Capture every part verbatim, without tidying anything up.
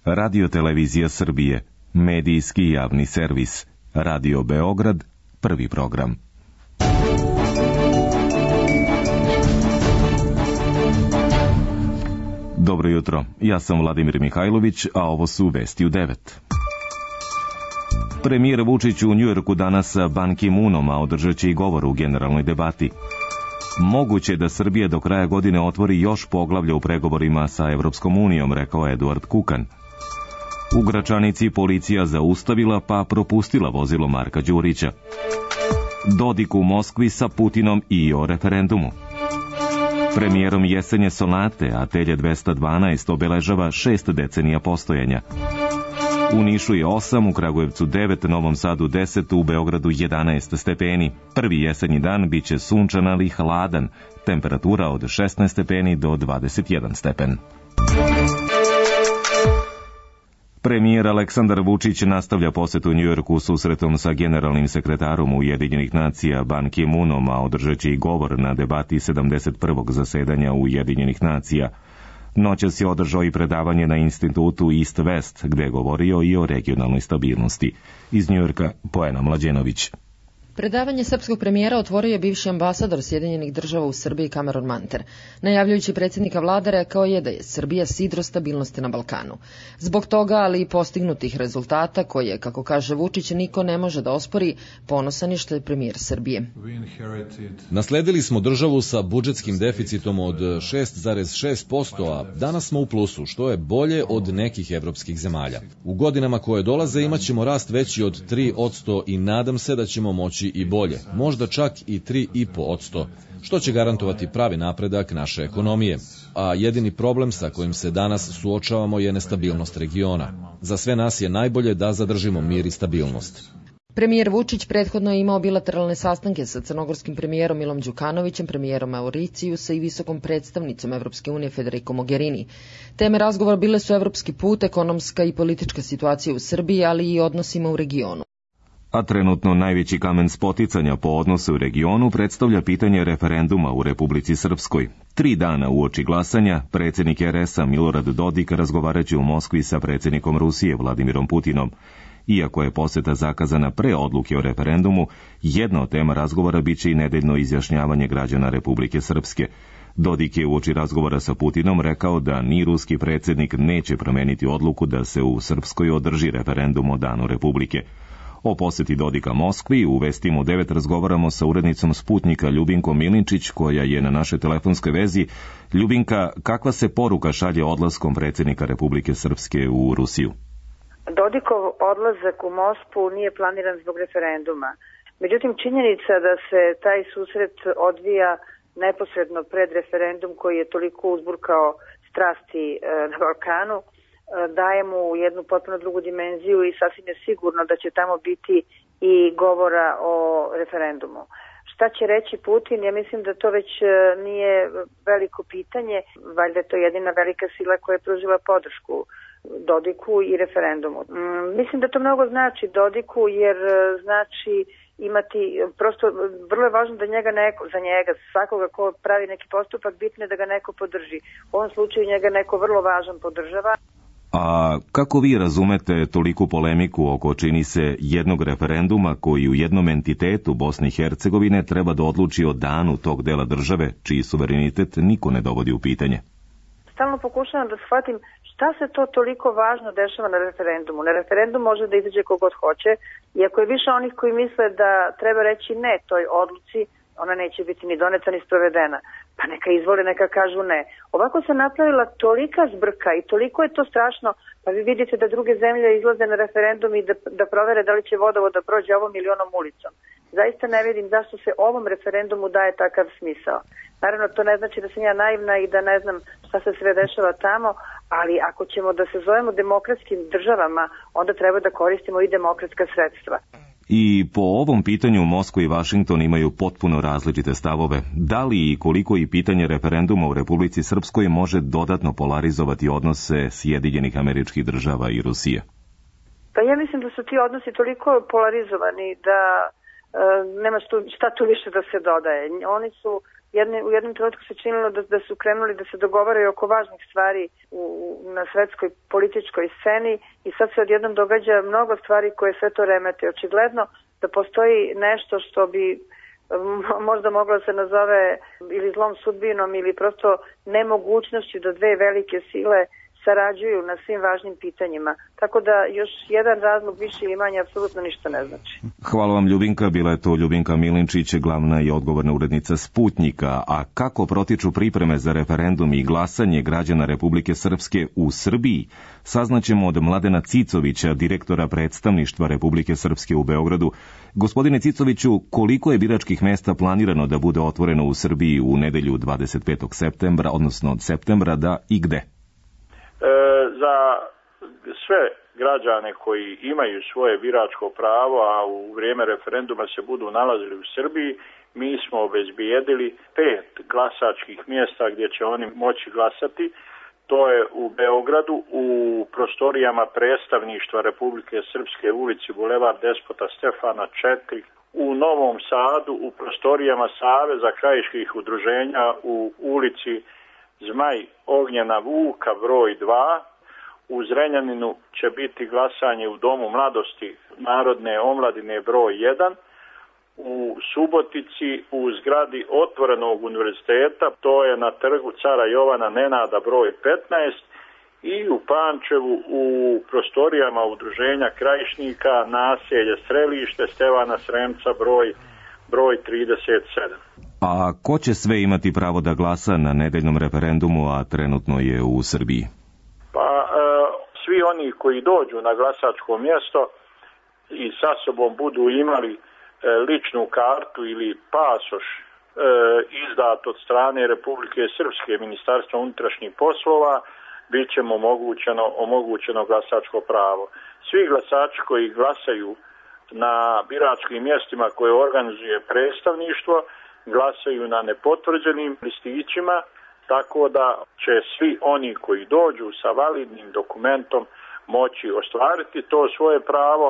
Radio-televizija Srbije, medijski javni servis, Radio Beograd, prvi program. Dobro jutro, ja sam Vladimir Mihajlović, a ovo su vesti u devet. Premijer Vučić u Njujorku danas sa Ban Ki-moonom, a održat će i govor u generalnoj debati. Moguće da Srbija do kraja godine otvori još poglavlja u pregovorima sa Evropskom unijom, rekao Eduard Kukan. U Gračanici policija zaustavila pa propustila vozilo Marka Đurića. Dodik u Moskvi sa Putinom i o referendumu. Premijerom jesenje sonate Atelje dvesta dvanaest obeležava šest decenija postojanja. U Nišu je osam, u Kragujevcu devet, Novom Sadu deset, u Beogradu jedanaest stepeni. Prvi jesenji dan biće sunčan, ali hladan. Temperatura od šesnaest stepeni do dvadeset jedan stepen. Premijer Aleksandar Vučić nastavlja posetu u Njujorku susretom sa generalnim sekretarom Ujedinjenih nacija Ban Ki-moonom, a održat će i govor na debati sedamdeset prvog zasedanja Ujedinjenih nacija. Noćas je održao i predavanje na institutu East West, gde je govorio i o regionalnoj stabilnosti. Iz Njujorka, Poena Mlađenović. Predavanje srpskog premijera otvorio je bivši ambasador Sjedinjenih država u Srbiji Cameron Manter. Najavljujući predsjednika vlade rekao je da je Srbija sidro stabilnosti na Balkanu. Zbog toga, ali i postignutih rezultata, koje, kako kaže Vučić, niko ne može da ospori, ponosan je što je premijer Srbije. Nasledili smo državu sa budžetskim deficitom od šest zarez šest posto, a danas smo u plusu, što je bolje od nekih evropskih zemalja. U godinama koje dolaze imat ćemo rast veći od tri posto i nadam se da ćemo moći i bolje, možda čak i tri i po posto, što će garantovati pravi napredak naše ekonomije. A jedini problem sa kojim se danas suočavamo je nestabilnost regiona. Za sve nas je najbolje da zadržimo mir i stabilnost. Premijer Vučić prethodno je imao bilateralne sastanke sa crnogorskim premijerom Milom Đukanovićem, premijerom Mauricijusa i visokom predstavnicom Evropske unije Federico Mogherini. Teme razgovora bile su evropski put, ekonomska i politička situacija u Srbiji, ali i odnosima u regionu. A trenutno najveći kamen spoticanja po odnosu u regionu predstavlja pitanje referenduma u Republici Srpskoj. Tri dana uoči glasanja, predsjednik er es a Milorad Dodik razgovaraće u Moskvi sa predsjednikom Rusije Vladimirom Putinom. Iako je poseta zakazana pre odluke o referendumu, jedna od tema razgovora biće i nedeljno izjašnjavanje građana Republike Srpske. Dodik je uoči razgovora sa Putinom rekao da ni ruski predsjednik neće promeniti odluku da se u Srpskoj održi referendum o danu Republike. O poseti Dodika Moskvi u Vestima u devet razgovaramo sa urednicom Sputnika Ljubinkom Milinčić, koja je na našoj telefonskoj vezi. Ljubinka, kakva se poruka šalje odlaskom predsjednika Republike Srpske u Rusiju? Dodikov odlazak u Moskvu nije planiran zbog referenduma. Međutim, činjenica da se taj susret odvija neposredno pred referendum koji je toliko uzburkao strasti na Balkanu, daje mu jednu potpuno drugu dimenziju i sasvim je sigurno da će tamo biti i govora o referendumu. Šta će reći Putin? Ja mislim da to već nije veliko pitanje, valjda je to jedina velika sila koja je pružila podršku Dodiku i referendumu. Mislim da to mnogo znači Dodiku, jer znači imati, prosto vrlo je važno da njega neko, za njega, svakoga ko pravi neki postupak, bitno je da ga neko podrži. U ovom slučaju njega neko vrlo važan podržava. A kako vi razumete toliku polemiku oko, čini se, jednog referenduma koji u jednom entitetu Bosne i Hercegovine treba da odluči o danu tog dela države, čiji suverenitet niko ne dovodi u pitanje? Stalno pokušavam da shvatim šta se to toliko važno dešava na referendumu. Na referendum može da izađe kogod hoće, i ako je više onih koji misle da treba reći ne toj odluci, ona neće biti ni doneta ni sprovedena. Pa neka izvole, neka kažu ne. Ovako se napravila tolika zbrka i toliko je to strašno, pa vi vidite da druge zemlje izlaze na referendum i da, da provere da li će vodovod da prođe ovom ili onom ulicom. Zaista ne vidim zašto se ovom referendumu daje takav smisao. Naravno, to ne znači da sam ja naivna i da ne znam šta se sve dešava tamo, ali ako ćemo da se zovemo demokratskim državama, onda treba da koristimo i demokratska sredstva. I po ovom pitanju Moskva i Vašington imaju potpuno različite stavove. Da li i koliko i pitanje referenduma u Republici Srpskoj može dodatno polarizovati odnose Sjedinjenih Američkih Država i Rusije? Pa ja mislim da su ti odnosi toliko polarizovani da e, nema stu, šta tu više da se dodaje. Oni su jedne, u jednom trenutku se činilo da, da su krenuli da se dogovaraju oko važnih stvari u, na svetskoj političkoj sceni i sad se odjednom događa mnogo stvari koje sve to remete. Očigledno da postoji nešto što bi možda moglo da se nazove ili zlom sudbinom ili prosto nemogućnošću da dve velike sile sarađuju na svim važnim pitanjima. Tako da još jedan razlog više ili manje apsolutno ništa ne znači. Hvala vam, Ljubinka. Bila je to Ljubinka Milinčić, glavna i odgovorna urednica Sputnjika. A kako protiču pripreme za referendum i glasanje građana Republike Srpske u Srbiji, saznaćemo od Mladena Cicovića, direktora predstavništva Republike Srpske u Beogradu. Gospodine Cicoviću, koliko je biračkih mesta planirano da bude otvoreno u Srbiji u nedelju dvadeset petog septembra, odnosno od septembra, da i gde? E, za sve građane koji imaju svoje biračko pravo, a u vrijeme referenduma se budu nalazili u Srbiji, mi smo obezbijedili pet glasačkih mjesta gdje će oni moći glasati. To je u Beogradu, u prostorijama predstavništva Republike Srpske, ulici Bulevar Despota Stefana četiri, u Novom Sadu, u prostorijama Saveza krajiških udruženja u ulici Zmaj Ognjena Vuka broj dva, u Zrenjaninu će biti glasanje u Domu mladosti Narodne omladine broj jedan, u Subotici u zgradi Otvorenog univerziteta, to je na trgu Cara Jovana Nenada broj petnaest, i u Pančevu u prostorijama udruženja Krajišnika naselje Strelište Stevana Sremca broj, broj trideset sedam. A ko će sve imati pravo da glasa na nedeljnom referendumu, a trenutno je u Srbiji? Pa e, svi oni koji dođu na glasačko mjesto i sa sobom budu imali e, ličnu kartu ili pasoš e, izdat od strane Republike Srpske, Ministarstva unutrašnjih poslova, bit će mu omogućeno, omogućeno glasačko pravo. Svi glasači koji glasaju na biračkim mjestima koje organizuje predstavništvo glasaju na nepotvrđenim listićima, tako da će svi oni koji dođu sa validnim dokumentom moći ostvariti to svoje pravo,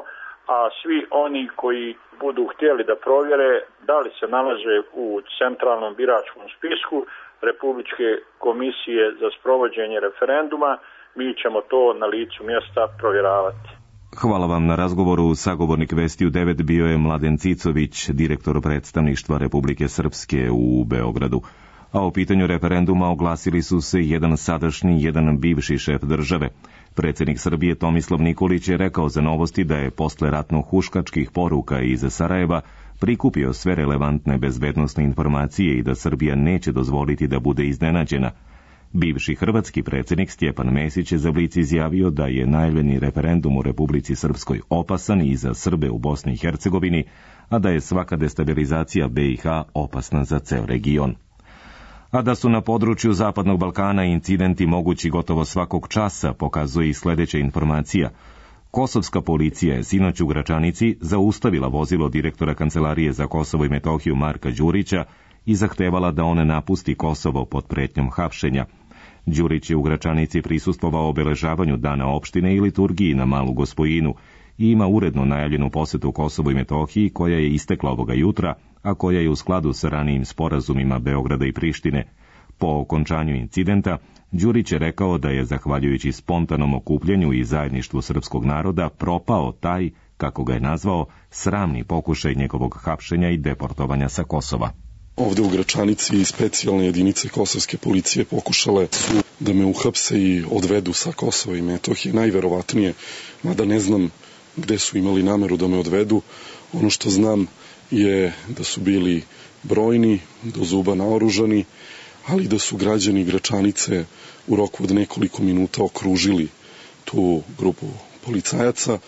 a svi oni koji budu htjeli da provjere da li se nalaze u centralnom biračkom spisku Republičke komisije za sprovođenje referenduma, mi ćemo to na licu mjesta provjeravati. Hvala vam na razgovoru. Sagovornik Vesti u devet bio je Mladen Cicović, direktor predstavništva Republike Srpske u Beogradu. A o pitanju referenduma oglasili su se jedan sadašnji i jedan bivši šef države. Predsjednik Srbije Tomislav Nikolić je rekao za Novosti da je posle ratno-huškačkih poruka iz Sarajeva prikupio sve relevantne bezbednosne informacije i da Srbija neće dozvoliti da bude iznenađena. Bivši hrvatski predsjednik Stjepan Mesić je za Blic izjavio da je najavljeni referendum u Republici Srpskoj opasan i za Srbe u Bosni i Hercegovini, a da je svaka destabilizacija be i ha opasna za ceo region. A da su na području Zapadnog Balkana incidenti mogući gotovo svakog časa, pokazuje i sljedeća informacija. Kosovska policija je sinoć u Gračanici zaustavila vozilo direktora Kancelarije za Kosovo i Metohiju Marka Đurića i zahtevala da on napusti Kosovo pod pretnjom hapšenja. Đurić je u Gračanici prisustvovao obeležavanju Dana opštine i liturgiji na Malu Gospojinu i ima uredno najavljenu posetu Kosovu i Metohiji koja je istekla ovoga jutra, a koja je u skladu sa ranijim sporazumima Beograda i Prištine. Po okončanju incidenta, Đurić je rekao da je, zahvaljujući spontanom okupljenju i zajedništvu srpskog naroda, propao taj, kako ga je nazvao, sramni pokušaj njegovog hapšenja i deportovanja sa Kosova. Ovde u Gračanici specijalne jedinice kosovske policije pokušale su da me uhapse i odvedu sa Kosova i Metohije. Najverovatnije, mada ne znam gde su imali nameru da me odvedu. Ono što znam je da su bili brojni, do zuba naoružani, ali da su građani Gračanice u roku od nekoliko minuta okružili tu grupu policajaca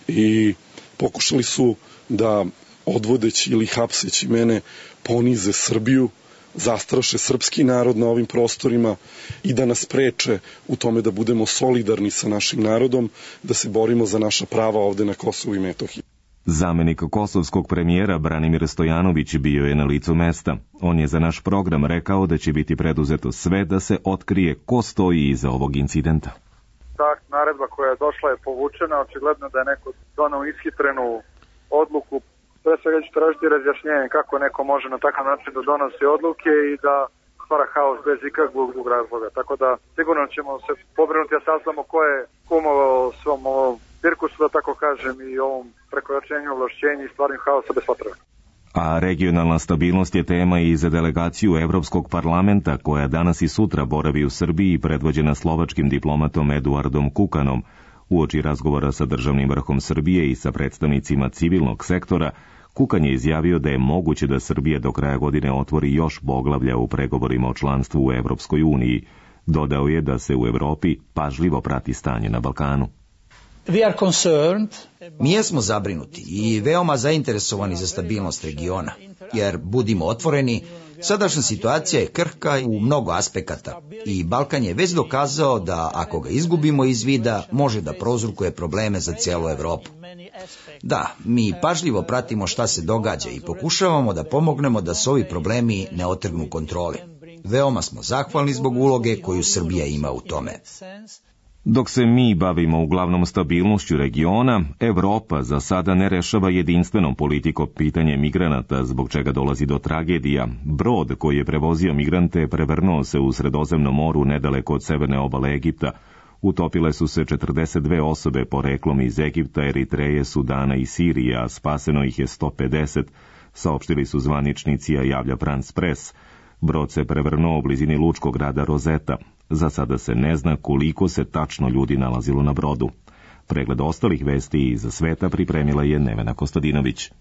i pokušali su da odvodeći ili hapseći mene ponize Srbiju, zastraše srpski narod na ovim prostorima i da nas preče u tome da budemo solidarni sa našim narodom, da se borimo za naša prava ovde na Kosovu i Metohiji. Zamenik kosovskog premijera Branimir Stojanović bio je na licu mesta. On je za naš program rekao da će biti preduzeto sve da se otkrije ko stoji iza ovog incidenta. Ta naredba koja je došla je povučena, očigledno da je neko donao ishitrenu odluku. pre svega ću tražiti razjašnjenje kako neko može na takav način da donosi odluke i da stvara haos bez ikakvog drugog razloga. Tako da sigurno ćemo se pobrinuti da saznamo ko je kumovao svom ovom cirkusu, da tako kažem, i ovom prekoračenju ovlašćenja i stvaranju haosa bez potrebe. A regionalna stabilnost je tema i za delegaciju Evropskog parlamenta, koja danas i sutra boravi u Srbiji, predvođena slovačkim diplomatom Eduardom Kukanom. Uoči razgovora sa državnim vrhom Srbije i sa predstavnicima civilnog sektora, Kukan je izjavio da je moguće da Srbija do kraja godine otvori još poglavlja u pregovorima o članstvu u Evropskoj uniji. Dodao je da se u Evropi pažljivo prati stanje na Balkanu. Mi jesmo zabrinuti i veoma zainteresovani za stabilnost regiona, jer, budimo otvoreni, sadašnja situacija je krhka u mnogo aspekata i Balkan je već dokazao da ako ga izgubimo iz vida, može da prouzrokuje probleme za cijelu Evropu. Da, mi pažljivo pratimo šta se događa i pokušavamo da pomognemo da se ovi problemi ne otrgnu kontroli. Veoma smo zahvalni zbog uloge koju Srbija ima u tome. Dok se mi bavimo uglavnom stabilnošću regiona, Evropa za sada ne rešava jedinstvenom politikom pitanje migranata, zbog čega dolazi do tragedija. Brod koji je prevozio migrante prevrnuo se u Sredozemnom moru nedaleko od severne obale Egipta. Utopile su se četrdeset dve osobe poreklom iz Egipta, Eritreje, Sudana i Sirije, a spaseno ih je sto pedeset, saopštili su zvaničnici, a javlja France Press. Brod se prevrnuo u blizini lučkog grada Rozeta. Za sada se ne zna koliko se tačno ljudi nalazilo na brodu. Pregled ostalih vesti iz sveta pripremila je Nevena Kostadinović.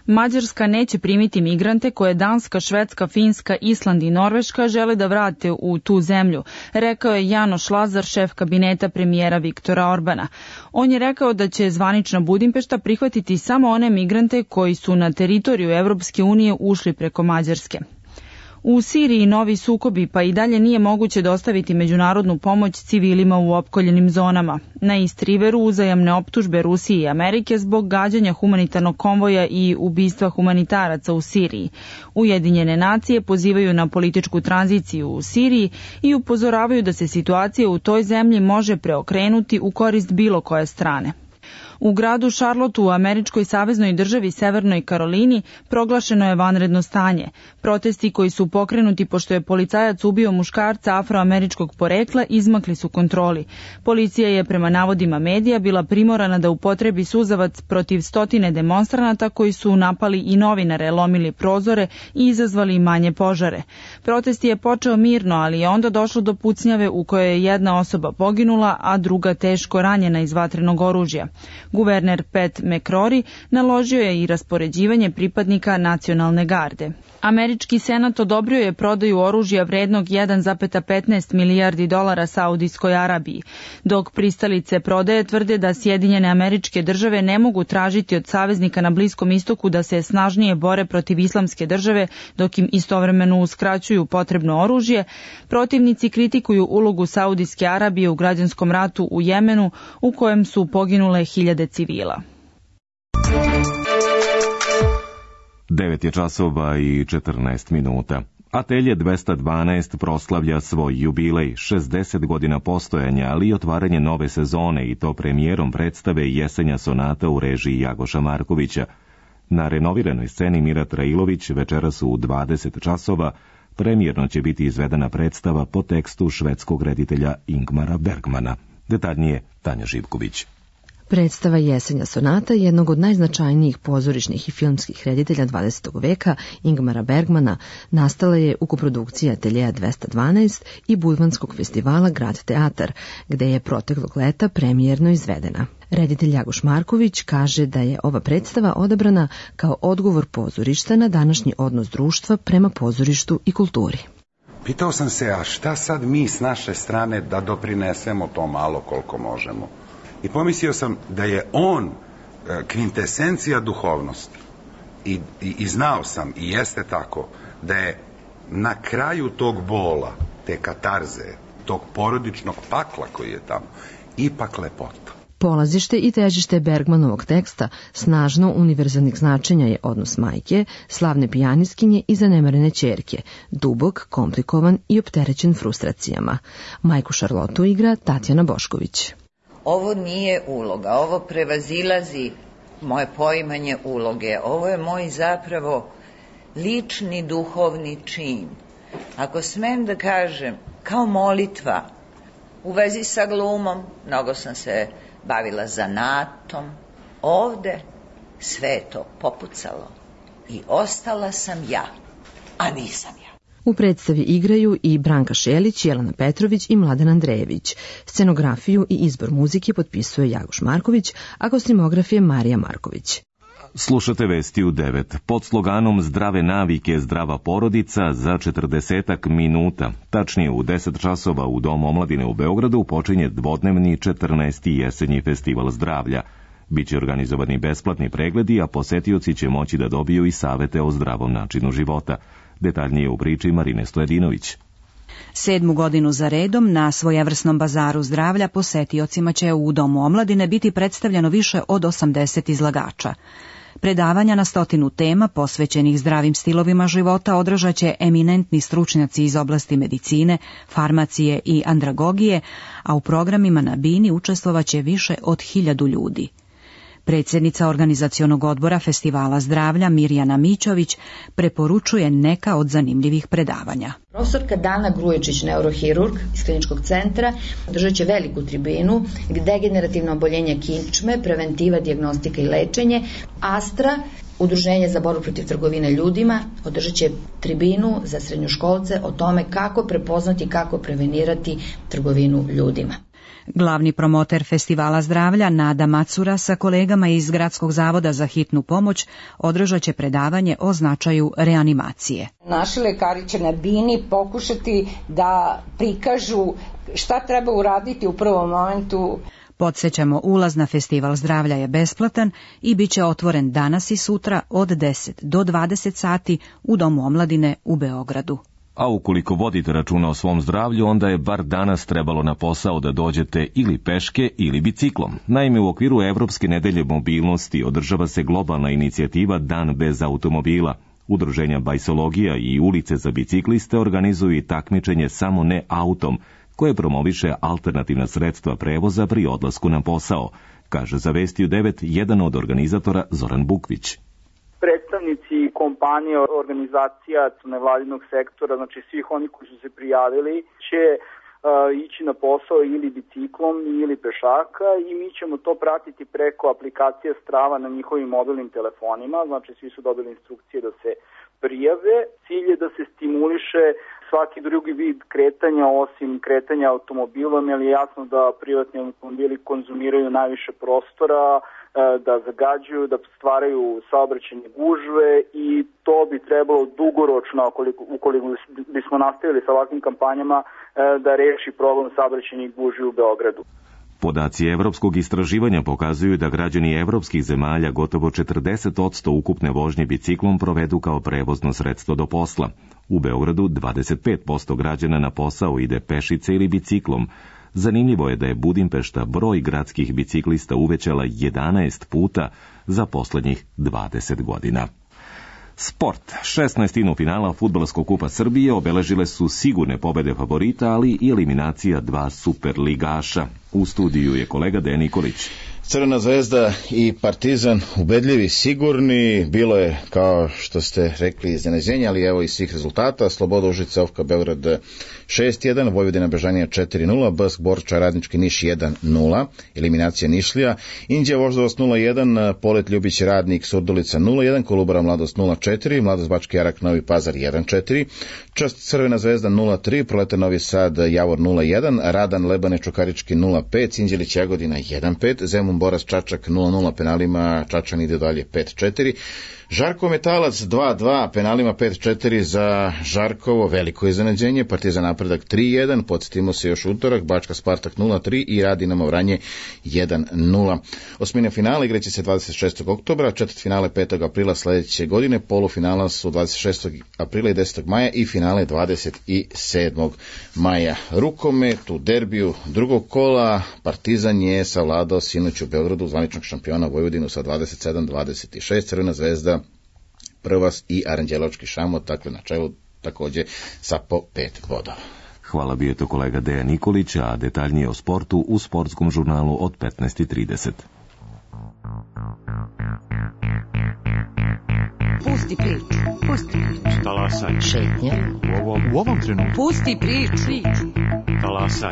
Mađarska neće primiti migrante koje Danska, Švedska, Finska, Island i Norveška žele da vrate u tu zemlju, rekao je Janoš Lazar, šef kabineta premijera Viktora Orbana. On je rekao da će zvanična Budimpešta prihvatiti samo one migrante koji su na teritoriju Evropske unije ušli preko Mađarske. U Siriji novi sukobi, pa i dalje nije moguće dostaviti međunarodnu pomoć civilima u opkoljenim zonama. Na East Riveru uzajamne optužbe Rusije i Amerike zbog gađanja humanitarnog konvoja i ubistva humanitaraca u Siriji. Ujedinjene nacije pozivaju na političku tranziciju u Siriji i upozoravaju da se situacija u toj zemlji može preokrenuti u korist bilo koje strane. U gradu Charlotteu u američkoj saveznoj državi Severnoj Karolini proglašeno je vanredno stanje. Protesti koji su pokrenuti pošto je policajac ubio muškarca afroameričkog porekla izmakli su kontroli. Policija je prema navodima medija bila primorana da upotrebi suzavac protiv stotine demonstranata koji su napali i novinare, lomili prozore i izazvali manje požare. Protest je počeo mirno, ali je onda došlo do pucnjave u kojoj je jedna osoba poginula, a druga teško ranjena iz vatrenog oružja. Guverner Pat McCrory naložio je i raspoređivanje pripadnika nacionalne garde. Američki senat odobrio je prodaju oružja vrednog jedan zarez petnaest milijardi dolara Saudijskoj Arabiji, dok pristalice prodaje tvrde da Sjedinjene Američke Države ne mogu tražiti od saveznika na Bliskom istoku da se snažnije bore protiv islamske države, dok im istovremeno uskraćuju potrebno oružje. Protivnici kritikuju ulogu Saudijske Arabije u građanskom ratu u Jemenu, u kojem su poginule hiljade civila. devet je časova i četrnaest minuta. Atelje dvesta dvanaest proslavlja svoj jubilej, šezdeset godina postojanja, ali i otvaranje nove sezone, i to premijerom predstave Jesenja sonata u režiji Jagoša Markovića. Na renoviranoj sceni Mira Trailović večeras u dvadeset časova premijerno će biti izvedena predstava po tekstu švedskog reditelja Ingmara Bergmana. Detaljnije Tanja Živković. Predstava Jesenja sonata, jednog od najznačajnijih pozorišnih i filmskih reditelja dvadesetog veka, Ingmara Bergmana, nastala je u koprodukciji Ateljeja dvesta dvanaest i Budvanskog festivala Grad teatar, gde je proteklog leta premijerno izvedena. Reditelj Jagoš Marković kaže da je ova predstava odabrana kao odgovor pozorišta na današnji odnos društva prema pozorištu i kulturi. Pitao sam se, a šta sad mi s naše strane da doprinesemo to malo koliko možemo? I pomislio sam da je on kvintesencija duhovnosti. I, i, i znao sam, i jeste tako, da je na kraju tog bola, te katarze, tog porodičnog pakla koji je tamo, ipak lepota. Polazište i težište Bergmanovog teksta snažno univerzalnih značenja je odnos majke, slavne pijaniskinje i zanemarene ćerke, dubok, komplikovan i opterećen frustracijama. Majku Šarlotu igra Tatjana Bošković. Ovo nije uloga, ovo prevazilazi moje poimanje uloge. Ovo je moj zapravo lični duhovni čin. Ako smem da kažem, kao molitva, u vezi sa glumom, mnogo sam se bavila zanatom, ovde sve je to popucalo i ostala sam ja, a nisam ja. U predstavi igraju i Branka Šelić, Jelena Petrović i Mladen Andrejević. Scenografiju i izbor muzike potpisuje Jagoš Marković, a kostimograf je Marija Marković. Slušate vesti u devet. Pod sloganom Zdrave navike, zdrava porodica za četrdesetak minuta. Tačnije u deset časova u Domu omladine u Beogradu počinje dvodnevni četrnaesti jesenji festival zdravlja. Biće organizovani besplatni pregledi, a posetioci će moći da dobiju i savete o zdravom načinu života. Detaljnije u priči Marine Stojedinović. Sedmu godinu za redom na svojevrsnom bazaru zdravlja posetiocima će u Domu omladine biti predstavljeno više od osamdeset izlagača. Predavanja na stotinu tema posvećenih zdravim stilovima života održat će eminentni stručnjaci iz oblasti medicine, farmacije i andragogije, a u programima na bini učestvovaće više od hiljadu ljudi. Predsjednica organizacionog odbora Festivala zdravlja Mirjana Mićović preporučuje neka od zanimljivih predavanja. Profesorka Dana Gruječić, neurohirurg iz kliničkog centra, držat će veliku tribinu degenerativno oboljenje kičme, preventiva, dijagnostika i lečenje. Astra, Udruženje za borbu protiv trgovine ljudima, održat će tribinu za srednjoškolce o tome kako prepoznati i kako prevenirati trgovinu ljudima. Glavni promoter Festivala zdravlja Nada Macura sa kolegama iz Gradskog zavoda za hitnu pomoć održat će predavanje o značaju reanimacije. Naši lekari će na bini pokušati da prikažu šta treba uraditi u prvom momentu. Podsjećamo, ulaz na Festival zdravlja je besplatan i bit će otvoren danas i sutra od deset do dvadeset sati u Domu omladine u Beogradu. A ukoliko vodite računa o svom zdravlju, onda je bar danas trebalo na posao da dođete ili peške ili biciklom. Naime, u okviru Evropske nedelje mobilnosti održava se globalna inicijativa Dan bez automobila. Udruženja Bajsologija i Ulice za bicikliste organizuju i takmičenje Samo ne autom, koje promoviše alternativna sredstva prevoza pri odlasku na posao, kaže za Vesti u devet jedan od organizatora Zoran Bukvić. Predstavnici kompanije, organizacija nevladinog sektora, znači svih oni koji su se prijavili, će uh, ići na posao ili biciklom ili pešaka i mi ćemo to pratiti preko aplikacije Strava na njihovim mobilnim telefonima, znači svi su dobili instrukcije da se prijave. Cilj je da se stimuliše svaki drugi vid kretanja osim kretanja automobilom, jer je jasno da privatni automobili konzumiraju najviše prostora, da zagađuju, da stvaraju saobraćajne gužve i to bi trebalo dugoročno, ukoliko, ukoliko bismo nastavili sa ovakvim kampanjama, da reši problem saobraćajnih gužvi u Beogradu. Podaci evropskog istraživanja pokazuju da građani evropskih zemalja gotovo četrdeset posto ukupne vožnje biciklom provedu kao prevozno sredstvo do posla. U Beogradu dvadeset pet posto građana na posao ide pešice ili biciklom. Zanimljivo je da je Budimpešta broj gradskih biciklista uvećala jedanaest puta za poslednjih dvadeset godina. Sport. šesnaestinu finala Fudbalskog kupa Srbije obeležile su sigurne pobede favorita, ali i eliminacija dva superligaša. U studiju je kolega Dejan Nikolić. Crvena zvezda i Partizan ubedljivi, sigurni, bilo je, kao što ste rekli, iznenađenja, ali evo i svih rezultata. Sloboda Užice, Ofka Beograd šest jedan, Vojvodina Bežanija četiri nula, Bask Borča Radnički Niš jedan nula, eliminacija Nišlija, Inđija Voždovac nula jedan, Polet Ljubić Radnik Surdulica nula jedan, Kolubara Mladost nula četiri, Mladost Bački Jarak Novi Pazar jedan četiri, Čast Crvena zvezda nula tri, Proletar Novi Sad Javor nula jedan, Radan Lebane Čukarički nula pet, Sinđelić Jagodina jedan pet, Zemun Boras Čačak nula nula, penalima Čačan ide dalje pet četiri, Žarko Metalac dva dva, penalima pet četiri za Žarkovo, veliko iznenađenje, Partizan Napredak tri jedan, podsjetimo se još utorak, Bačka Spartak nula tri i Radinamo Vranje jedan nula. Osmine finale igraće se dvadeset šestog oktobra, četvrt finale petog aprila sledeće godine, polufinala su dvadeset šestog aprila i desetog maja i finale dvadeset sedmog maja. Rukomet u derbiju drugog kola, Partizan je savladao sinoć u Beogradu zvaničnog šampiona Vojvodinu sa dvadeset sedam dvadeset šest, Crvena zvezda Prvas i Aranđelovački Šamot, dakle na čelu takođe sa po pet bodova. Hvala, bio je to kolega Dejan Nikolić, a detaljnije o sportu u sportskom žurnalu od petnaest i trideset. Pusti priču. Pusti priču. Talasaj. Šetnja. U ovom, u ovom trenutku. Pusti priču. Talasaj.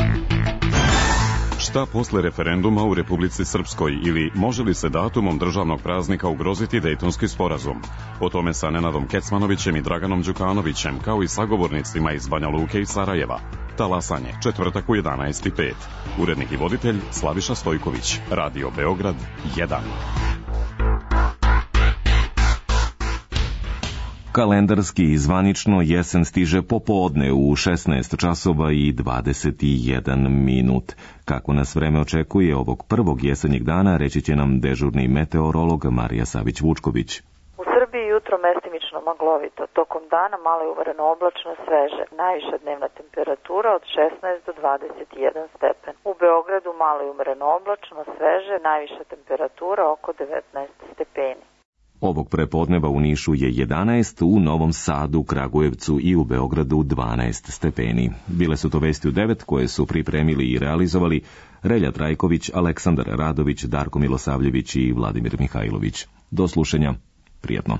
Šta posle referenduma u Republici Srpskoj ili može li se datumom državnog praznika ugroziti Dejtonski sporazum? O tome sa Nenadom Kecmanovićem i Draganom Đukanovićem, kao i sagovornicima iz Banja Luke i Sarajeva. Talasanje, četvrtak u jedanaest i pet. Urednik i voditelj Slaviša Stojković. Radio Beograd jedan. Kalendarski i zvanično jesen stiže popodne u šesnaest časova i dvadeset jedan minut. Kako nas vreme očekuje ovog prvog jesenjeg dana, reći će nam dežurni meteorolog Marija Savić-Vučković. U Srbiji jutro mestimično maglovito, tokom dana malo je uvereno oblačno, sveže, najviša dnevna temperatura od šesnaest do dvadeset jedan stepen. U Beogradu malo je uvereno oblačno, sveže, najviša temperatura oko devetnaest stepeni. Ovog prepodneva u Nišu je jedanaest, u Novom Sadu, Kragujevcu i u Beogradu dvanaest stepeni. Bile su to vesti u devet koje su pripremili i realizovali Relja Trajković, Aleksandar Radović, Darko Milosavljević i Vladimir Mihajlović. Do slušanja. Prijatno.